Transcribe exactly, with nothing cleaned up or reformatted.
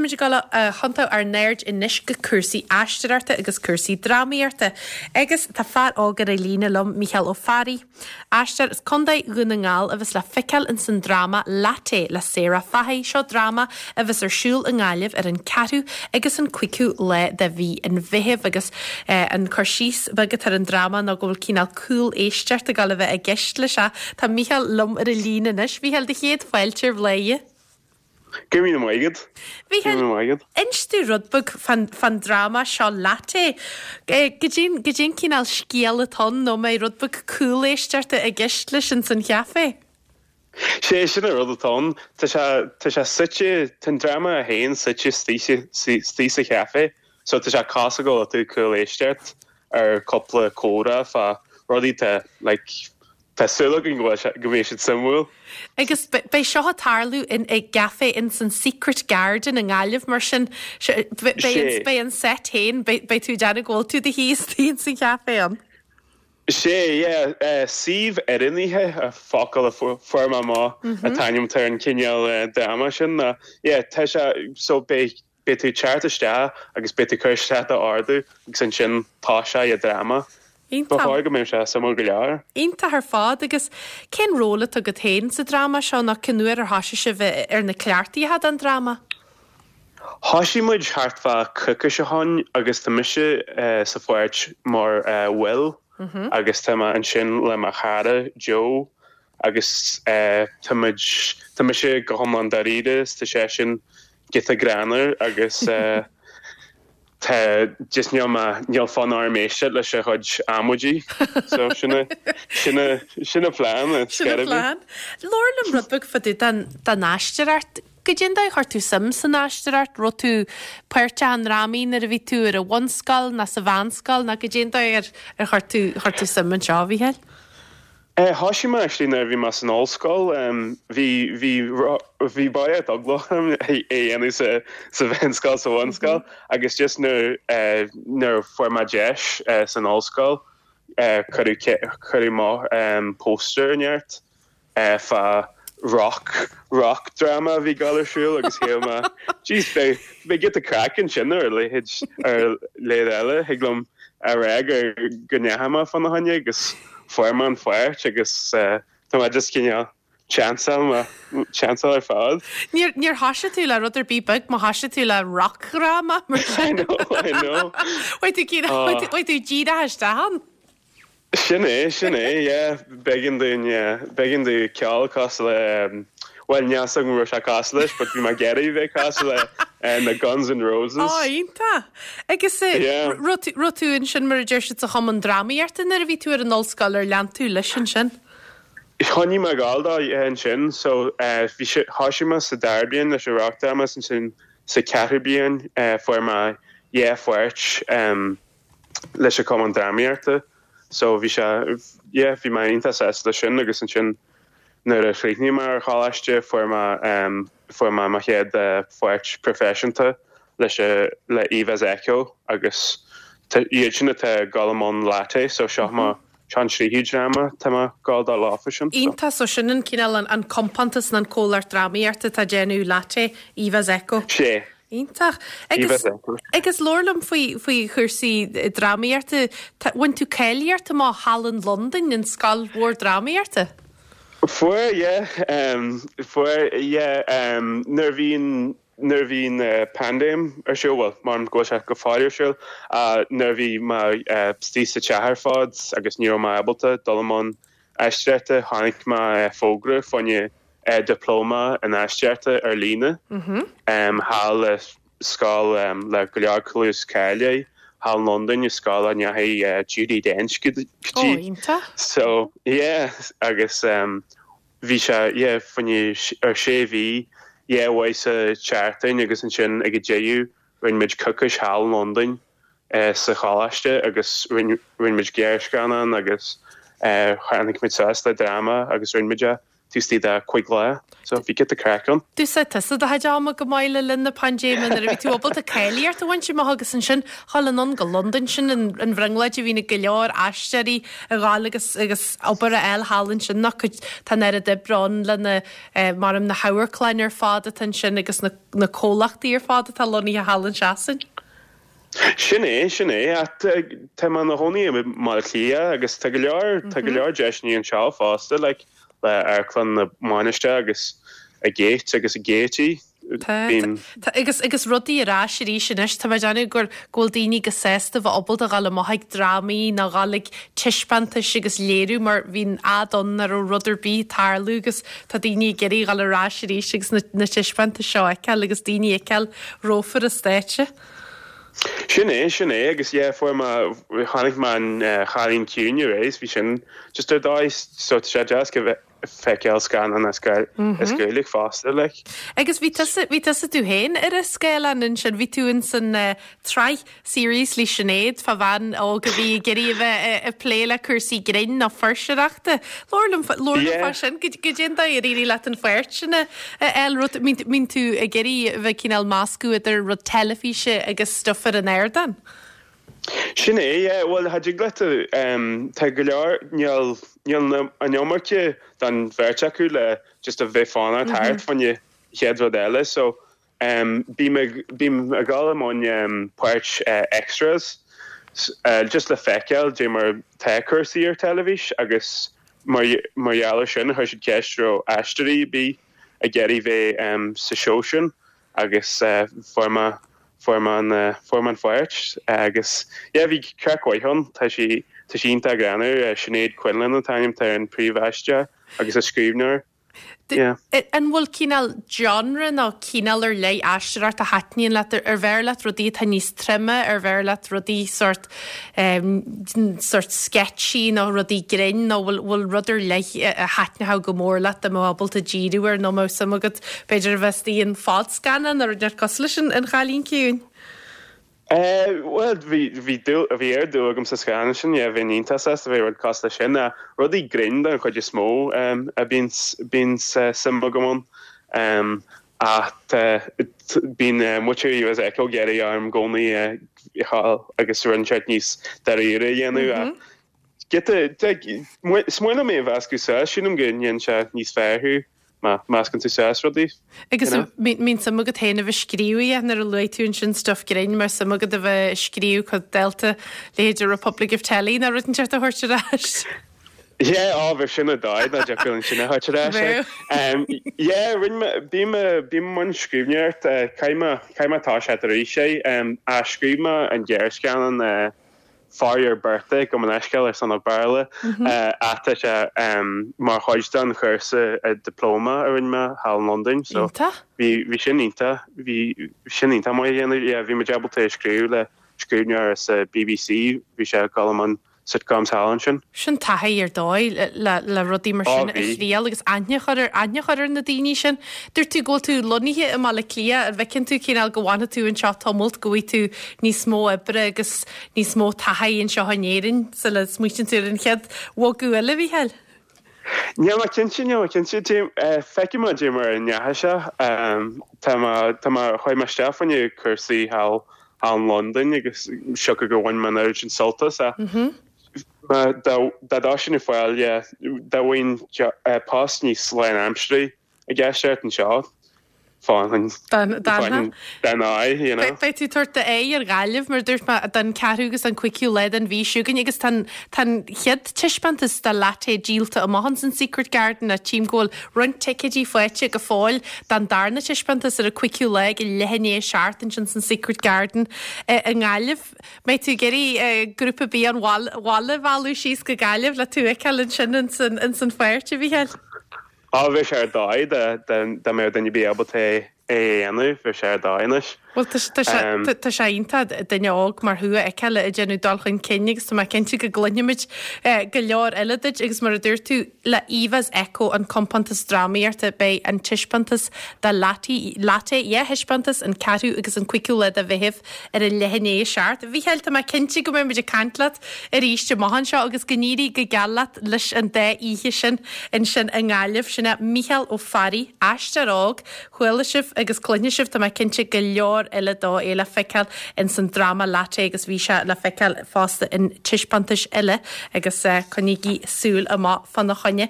Táimid ag dul a thiontú ár n-aird anois go cúrsaí aisteoireachta agus cúrsaí drámaíochta. Agus tá fear óg ar an líne liom Mícheál Ó Fearraigh. Aisteoir as Contae Dhún na nGall a bheas le feiceáil in san dráma Latte le Sarah Fahy seo dráma a bheas ar siúl i nGaillimh ar an ceathrú agus an cúigiú lá de mhí an Mheithimh agus eh, an cur síos beag atá ar an dráma ná go bhfuil cineál cúléisteacht ag dul a bheith i gceist leis seo Tá Mícheál liom ar an líne anois, Mhícheál do chéad fáilte ar Bhladhaire. Go raibh míle maith agat. Bhí Inis dúinn rud beag fán dráma seo Latte. Goidé goidé an cineál scéal atá ann nó mé rud beag cúléisteachta i gceist leis an san chafé. Sé sin an rud atá ann Tá sé suite an dráma a haon suite istigh sa chafé, so tá sé cosúil go tú cúl éisteacht ar cúpla comhrá fá rudaí te like, Tá súil go go mbeidh siad suimiúil. Agus beidh seo ag tarlú in i gcafé in san Secret Garden i nGaillimh mar sin beidh an set féin beidh tú déanamh go bhfuil tú do shuí istigh san chafé an. Sé suíomh oiriúnaithe a focal a fuair mé an t-ainm ar an cineál dráma sin na tá sé so beidh beidh tú teacht isteach agus beidh tú cur isteach d'ordú agus ansin tá sé i dráma. Ba go mbeidh sé suimiúil go leor. Iontach ar fad agus cén ról atá agat féin sa dráma seo ná cén uair ar thosaigh sibh ar na cleachtaithe an dráma? Thosaigh muid thart fá coicís ó shin agus tá mise uh, sa pháirt mar uh, Will mm -hmm. agus tá mé ansin le mo chara Joe agus uh, tá tá mise go hiomlán dáiríre tá sé sin giota greannmhar agus uh, Tá just níl níl fonn orm éisteacht leis a chuid amaidí so sinna sinna sinna plean plan. Labhair liom rud beag fá dtaobh den aisteoireacht. Goidé an dóigh chuir tú suim san aisteoireacht raibh tú páirteach i ndrámaí nuair a bhí tú ar an bhunscoil ná sa mheánscoil ná goidé an dóigh ar ar chuir tú chuir tú suim anseo Mhícheál? Eh, Thosaigh mé actually nuair bhí mé san ollscoil bhí bhí bhí ba eagla é dhéanamh sa sa mheánscoil sa bhunscoil agus just nuair nuair fuair mé deis san ollscoil cuireadh mo poster neart fá rock rock drama bhí ag dul ar siúl agus shíl mé Jeez beidh giota craic ansin ar leithéid ar leid eile thig liom a rá gur go ndeachaigh mé fána choinne agus fuair mé an pháirt agus tá mé just cineál chanceáil chanceáil ar fad. Níor níor thosaigh tú le rud ar bith beag má thosaigh tú le rockdráma mar sin. Chuaigh tú díreach isteach ann. Sin é sin é b'éigean dúinn b'éigean dúinn ceol cosúil le well níl a fhios agam raibh sé cosúil leis, but bhí mé ag iarraidh bheith cosúil le na Guns N' Roses. Á iontach. Agus raibh tú ansin mar a deir siad sa chumann drámaíochta nuair a bhí tú ar an ollscoil ar lean tú leis ansin. Choinnigh mé ag dul dó ansin so bhí thosaigh mé sa dara bliain leis an rockdráma ansin sa ceathrú bliain fuair mé dhá pháirt leis an cumann drámaíochta. So bhí sé bhí mé iontach sásta leis sin agus ansin nuair a chríochnaigh mé ar choláiste fuair mé fuair mé mo chéad pháirt proifisiúnta leis le Eva's Echo agus iad sin atá ag dul i mbun Latte so seo mo seo an tríú dráma tá mé ag dul dó leofa sin. Iontach so sin an cineál an compántas an comhlacht drámaíochta atá ag déanamh Latte Eva's Echo. Sé. Iontach. Agus agus labhair liom faoi faoi chúrsaí drámaíochta bhain tú cáilíocht amach thall in Londain an scoil mhór drámaíochta? Fuair yeah um, fuair yeah um, nuair a bhí nuair a bhí uh, paindéim ar siúl well mar go sé go fóill ar siúl uh, nuair a bhí mé uh, istigh sa teach ar fad agus ní raibh mé ábalta dul i mbun aisteoireachta tháinig mé uh, fógra fá choinne uh, diplóma in aisteoireachta ar líne Mm -hmm. um, thall le scoil um, le go leor cluas cáilithe thall in Londain i scoil a ndeachaigh uh, Judi Dench go Ó dtí. iontach. So yeah agus um, bhí sé yeah, fá choinne ar sé mhí yeah, uair sa tseachtain agus ansin ag an deireadh rinne muid coicís thall in Londain uh, sa choláiste agus rinne muid gearrscannán agus uh, tháinig muid suas le dráma agus rinne muid é taobh istigh de cúig lá. So bhí giota craic ann. D'úsáid tusa do chuid ama go maith le linn na paindéime nuair a bhí tú ábalta cáilíocht a bhaint amach agus ansin dhul anonn go Londain sin an an bhrionglóid a bhíonn ag go leor aisteoirí a ghabháil agus agus obair a fháil thall ansin nach cuid tá an oiread oibre ann le na mar na hamharclanna ar fad atá ansin agus na na comhlachtaí ar fad atá lonnaithe thall in Sasain. Sin é sin é tá mé i mo chónaí i mBaile Átha Cliath agus tá go leor tá go leor deiseanna anseo fosta like, le Amharclann na Mainistreach agus a Gate agus a Gaiety. Tá agus agus rudaí ar ais arís anois tá mé ag déanamh gur go bhfuil daoine go sásta bheith ábalta dhul amach ag drámaí nó dhul ag taispeántais agus léiriú mar bhí'n fhad ann nach raibh rud ar bith ag tarlú agus tá daoine ag iarraidh dhul ar ais arís agus na, na taispeántais seo a fheiceáil agus daoine a fheiceáil rompu ar an stáitse. Sin é sin é agus yeah, fuair mé chonaic mé an uh, Cailín Ciúin arís bhí sin just ar dóigh so tá sé deas go feiceáil scannán as as Gaeilge fosta like. Agus bhí tusa bhí tusa tú féin ar an scáileán ansin bhí tú in san uh, tsraith series le Sinéad fá bhean óg a bhí ag iarraidh a bheith ag plé le cúrsaí grinn nó fuirseoireachta. Labhair liom fá sin go dtéann ar éirigh leat an pháirt sin a fháil rud mbíonn tú ag iarraidh a bheith cineál meascadh idir rud teilifíse agus stuff ar an ardán. Sin é bhuel tha dig leat tá go leor níl níl an iomarca den bheirt acu le just a bheith fána thart fá choinne chéad rud eile so um, bím bím ag dul i mbun um, páirt uh, extras uh, just le feiceáil dé mar tá cúrsaí ar teilifís agus mar mar gheall sin chuir siad ceist raibh aisteoirí bhí ag iarraidh bheith um, sa seó sin agus uh, fuair mé fuair mé an uh, fuair mé an pháirt agus yeah, bhí craic mhaith ann tá sí tá sí iontach greannmhar uh, Sinéad Quinlan an t-ainm atá ar an príomhaisteoir agus a scríbhneoir. Yeah. An bhfuil cineál genre nó cineál ar leith aisteoireacht a thaitníonn leat ar bhfearr leat rudaí atá níos troime ar bhfearr leat rudaí sort um, sort sketchy nó rudaí grinn nó bhfuil bhfuil rud ar leith a thaitneodh go mór leat a mbeifeá ábalta díriú ar nó más suim agat b'fhéidir a bheith i fadscannán ar ar cosúil leis an Chailín Ciúin. Uh, well bhí bhí bhí ar dúil agam sa scannán sin yeah, bhí iontach a bhí rud cosúil leis sin a rudaí grinn den chuid is mó um, a bíonn bíonn uh, suim agam ann um, ach uh, bíonn uh, muintir US Echo ag iarraidh orm i gcónaí uh, agus rud inteacht níos dáiríre a dhéanamh mm -hmm. Smaoineamh mé mheascadh sa sílim go ndéanann sé níos fearr thú má mheascann tú suas rudaí. Agus mbíonn suim agat féin a bheith scríobh nuair a luaigh tú ansin stuff grinn mar suim agat a bheith scríobh chun delta leithéid Republic of Telly na rud inteacht a thabhairt ar ais. Yeah, ábhar sin a dá na deacair sin a thabhairt ar ais. Yeah, rinne bím bím i mbun scríbhneoireacht caithfidh mé tá sé arís sé a scríobh mé an gearrscannán For Your Birthday go an eisceil ar son a Béarla ata sé mar chuid den chúrsa diploma a rinne mé thall in Londain so bhí bhí sin iontach bhí sin iontach maith a dhéanamh bhí mé ábalta scríobh le scríbhneoir sa BBC bhí sé ag an sitcoms thall ansin. Sin taithí ar dóigh le le rudaí mar sin a thriail agus aithne a chur ar aithne a chur ar na daoine sin. Dúirt tú go bhfuil tú lonnaithe i mBaile Átha Cliath an bhfeiceann tú cineál go bhfanfaidh tú anseo tamalt go bhfaighidh tú níos mó oibre agus níos mó taithí anseo in Éirinn sula smaoiníonn tú ar an chéad bhogadh eile Mhícheáil. Níl mé cinnte níl mé cinnte feicfidh mé dé mar a ndeachaigh sé tá tá chuaigh mé isteach fá choinne cúrsaí thall in Londain agus siocair gur bhain mé an oiread sin sult as a. Dá dá sin fáil dá bhfuil post níos lánaimseartha i gceist anseo fáin den Beidh tú tabhairt d'aghaidh ar Ghaillimh mar dúirt mé don ceathrú agus an cúigiú lá den mhí seo chugainn agus tá an chéad taispeántas de Latte díolta amach san Secret Garden a tchím go bhfuil roinnt ticéidí faighte go fóill don darna taispeántas ar an cúigiú lá ag leath i ndiaidh a seacht ansin san Secret Garden i nGaillimh. Mbeidh tú ag iarraidh grúpa ar bith an bhaile a mhealladh síos go Gaillimh le tú a fheiceáil ansin in san pháirt a Mhícheáil? Á bheadh sé ar dóigh dá mbeadh duine ar bith ábalta é a dhéanamh bheadh sé ar dóigh anois. Well tá sé iontach duine óg mar thú a fheiceáil ag déanamh dul chun cinn agus tá mé cinnte go gcluinfimid go leor eile duit agus mar a dúirt tú le Eva's Echo an compántas drámaíochta beidh an taispeántas de Latte Latte dhá thaispeántas an ceathrú agus an cúigiú lá de Mheitheamh ar a leath i ndiaidh a seacht. Mhícheáil tá mé cinnte go mbeimid ag caint leat arís amach anseo agus go n-éirí go geal leat leis an dá oíche sin ansin i nGaillimh sin é Mícheál Ó Fearraigh aisteoir óg chuala sibh agus cluinfidh sibh tá mé cinnte go leor eile dó é le feiceáil in san dráma Latte agus bhí sé le feiceáil fosta in taispeántais eile agus uh, coinnígí súil amach fána choinne.